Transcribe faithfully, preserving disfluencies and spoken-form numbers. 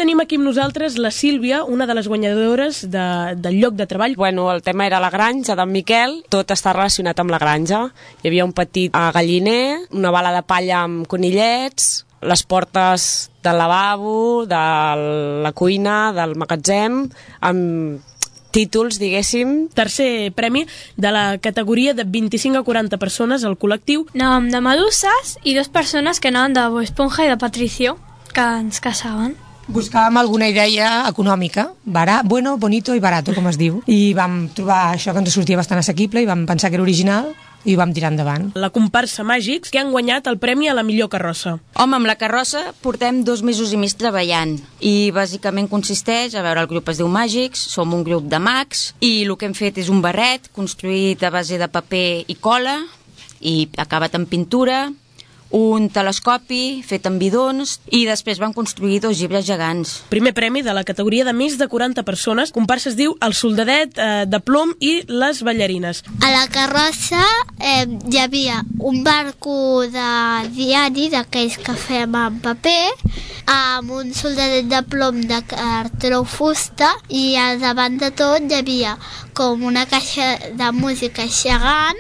Tenim aquí amb nosaltres la Sílvia, una de les guanyadores de, del lloc de treball. Bueno, el tema era la granja d'en Miquel, tot està relacionat amb la granja. Hi havia un petit galliner, una bala de palla amb conillets, les portes del lavabo, de la cuina, del magatzem, amb títols, diguéssim. Tercer premi de la categoria de vint-i-cinc a quaranta persones al col·lectiu. Anàvem de Meduses i dues persones que anaven de Bob Esponja i de Patricio, que ens caçaven. Buscàvem alguna idea econòmica, barat, bueno, bonito i barato, com es diu, i vam trobar això que ens sortia bastant assequible i vam pensar que era original i ho vam tirar endavant. La comparsa Màgics, que han guanyat el premi a la millor carrossa. Home, amb la carrossa portem dos mesos i mig treballant i bàsicament consisteix, a veure, el grup es diu Màgics, som un grup de mags i el que hem fet és un barret construït a base de paper i cola i acabat en pintura, un telescopi fet amb bidons i després van construir dos llibres gegants. Primer premi de la categoria de més de quaranta persones. Comparsa es diu El soldadet eh, de plom i les ballarines. A la carrossa eh, hi havia un barco de diari d'aquells que fem en paper amb un soldadet de plom de cartró fusta i al davant de tot hi havia com una caixa de música gegant